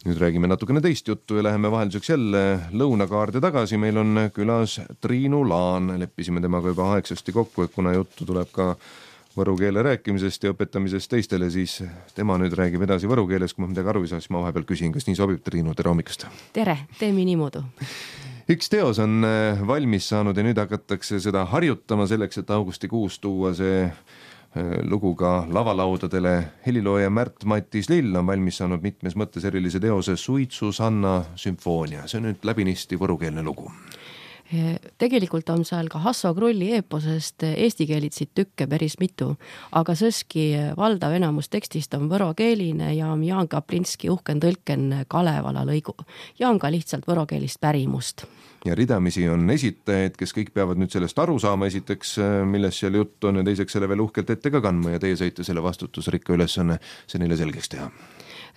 Nüüd räägime natukene teist juttu ja läheme vahelduseks jälle lõunakaarde tagasi. Meil on külas Triinu Laan. Leppisime temaga juba aegsasti kokku, et kuna juttu tuleb ka võru keele rääkimisest ja õpetamisest teistele, siis tema nüüd räägib edasi võru keeles. Kui ma midagi aru ei saa, siis ma vahepeal küsin, kas nii sobib. Triinu, tere hommikust! Tere, teeme nii muudu. Üks teos on valmis saanud ja nüüd hakatakse seda harjutama selleks, et augustikuus tuua see lugu ka lavalaudadele. Helilooja Märt-Mattis Lill on valmis saanud mitmes mõttes erilise teose Suitsusanna sümfoonia. See on nüüd läbinisti võrukeelne lugu. Tegelikult on seal ka Hasso Krulli eeposest eesti keelitsid tükke päris mitu, aga sõski valdav enamus tekstist on võrokeeline ja Jaan Kaplinski uhken tõlken Kalevala lõigu. Jaan ka lihtsalt võrokeelist pärimust. Ja ridamisi on esitajaid, kes kõik peavad nüüd sellest aru saama, esiteks, milles seal jutt on ja teiseks selle veel uhkelt ette ka kandma ja teie sõite selle vastutusrikka ülesanne see neile selgeks teha.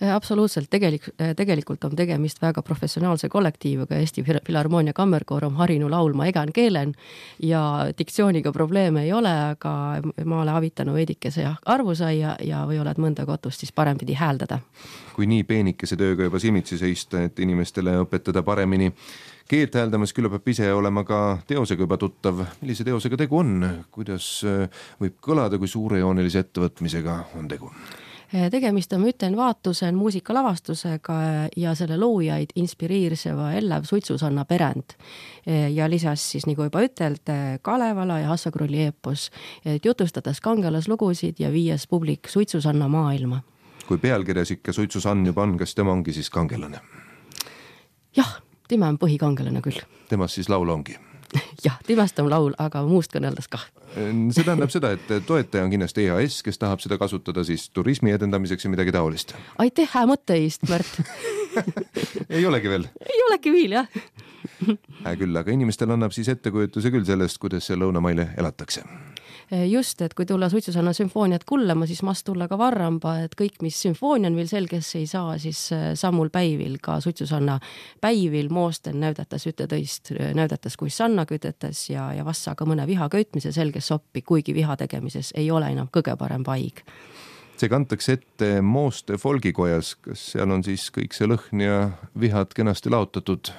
Absoluutselt, tegelikult on tegemist väga professionaalse kollektiiviga. Eesti Filharmoonia Kammerkoor on harinu laulma egan keelen ja diktsiooniga probleeme ei ole, aga ma olen avitanud veidikese arvu sai ja või oled mõnda kotust siis parempidi hääldada. Kui nii peenikese tööga juba silmitsi seista, et inimestele õpetada paremini keelt hääldamas, küll peab ise olema ka teosega juba tuttav. Millise teosega tegu on? Kuidas võib kõlada, kui suurejoonelise ettevõtmisega on tegu? Tegemist on Müten Vaatusen muusikalavastusega ja selle loojaid inspiriirseva Ellev Suitsusanna perend. Ja lisas siis, nagu juba üteld, Kalevala ja Hasso Krulli eepos, jutustades kangelaslugusid ja viies publik Suitsusanna maailma. Kui pealkirjas ikka Suitsusann juba on, kas tema ongi siis kangelane? Jah, tema on põhikangelane küll. Temast siis laul ongi? Jah, temast on laul, aga muust kõneldes kah. See tähendab seda, et toetaja on kindlasti EAS, kes tahab seda kasutada siis turismi edendamiseks ja midagi taolist. Aitäh, hää mõtteist, Märt. Ei olegi veel? Ei olegi veel, jah. Küll, aga inimestel annab siis ettekujutuse küll sellest, kuidas see lõunamaile elatakse. Just, et kui tulla Suitsusanna sümfooniat kullama, siis mast tulla ka varramba, et kõik, mis sümfoonian veel selgesse ei saa, siis sammul päivil ka Suitsusanna päivil moosten näydatas ütetõist, näydatas kui sanna kütetes ja vassa ka mõne viha köitmise selges soppi, kuigi viha tegemises ei ole enam kõige parem paig. See kantakse ette Mooste folgikojas, kas seal on siis kõik see lõhn ja vihad kenasti laotatud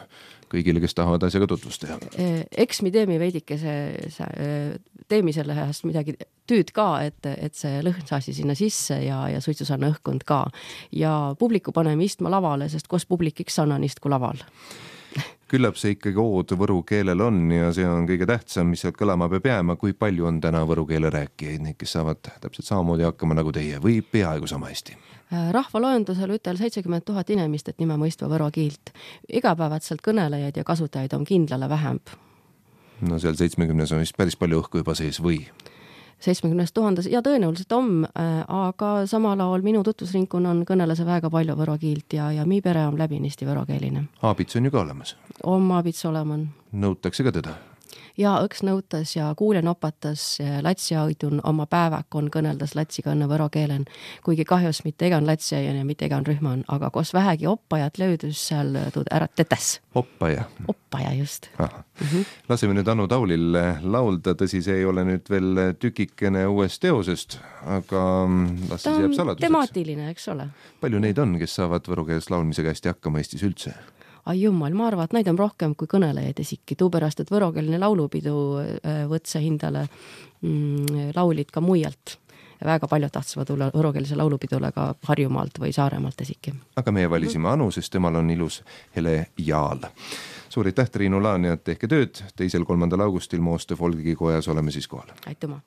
kõigile, kes tahavad asjaga tutvust teha? Eks me teemi selle häst midagi tüüd ka, et see lõhn saasi sinna sisse ja Suitsusanna õhkund ka. Ja publiku paneme istma lavale, sest koos publikiks sannan istku laval. Küllap see ikkagi ood võru keelel on ja see on kõige tähtsam, mis sealt kõlama peab jääma. Kui palju on täna võru keele rääkijaid, neid, kes saavad täpselt samamoodi hakkama nagu teie või peaaegu sama hästi? Rahvaloendusel ütel 70 000 inimest, et nime mõistva võro kiilt. Igapäevatselt kõnelejaid ja kasutajaid on kindlale vähemb. No seal 70 on vist päris palju õhku juba sees või? 70 000 ja tõenäoliselt on, aga samal ajal minu tutvusrinkun on kõnelase väga palju võro kiilt ja mi pere on läbinisti võrokeeline. Aabits on ju ka olemas? On Aabits oleman. Nõutakse ka teda? Ja õks nõutas ja kuulen opatas latsia õidun oma päevak on kõneldas latsiga õnne võro keelen, kuigi kahjus mitte egan latsia ja mitte egan rühman, aga koos vähegi oppajat löödus seal ära tetes. Oppaja? Oppaja, just. Laseme nüüd Anu Taulil laulda, tõsi, see ei ole nüüd veel tükikene uuest teosest, aga las siis jääb saladuseks. Temaatiline, eks ole. Palju neid on, kes saavad võrukeeles laulmisega hästi hakkama Eestis üldse? Ai jummal, ma arvan, et neid on rohkem kui kõnelejaid esiki. Tuupärast, et võrokeelne laulupidu võtse hindale laulid ka muialt. Väga palju tahtsavad tulla võrokeelse laulupidule ka Harjumaalt või Saaremaalt esiki. Aga meie valisime Anu, sest temal on ilus hele jaal. Suur aitäh, Triinu Laan, ja tehke tööd. 2.–3. augustil Mooste folgikojas oleme siis kohal. Aitüma!